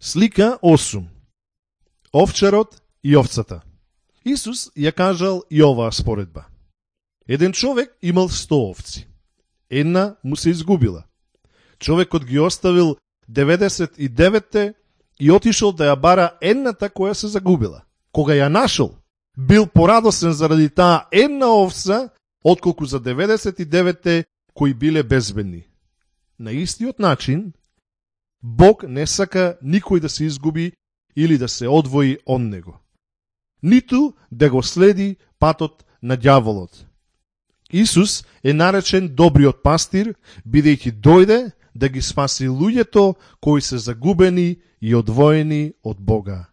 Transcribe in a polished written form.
Слика 8. Овчарот и овцата. Исус ја кажал и оваа споредба. Еден човек имал 100 овци. Една му се изгубила. Човекот ги оставил 99 и отишол да ја бара едната која се загубила. Кога ја нашол, бил порадосен заради таа една овца, отколку за 99 кои биле безбедни. На истиот начин, Бог не сака никој да се изгуби или да се одвои од него. Ниту да го следи патот на ѓаволот. Исус е наречен добриот пастир, бидејќи дојде да ги спаси луѓето кои се загубени и одвоени од Бога.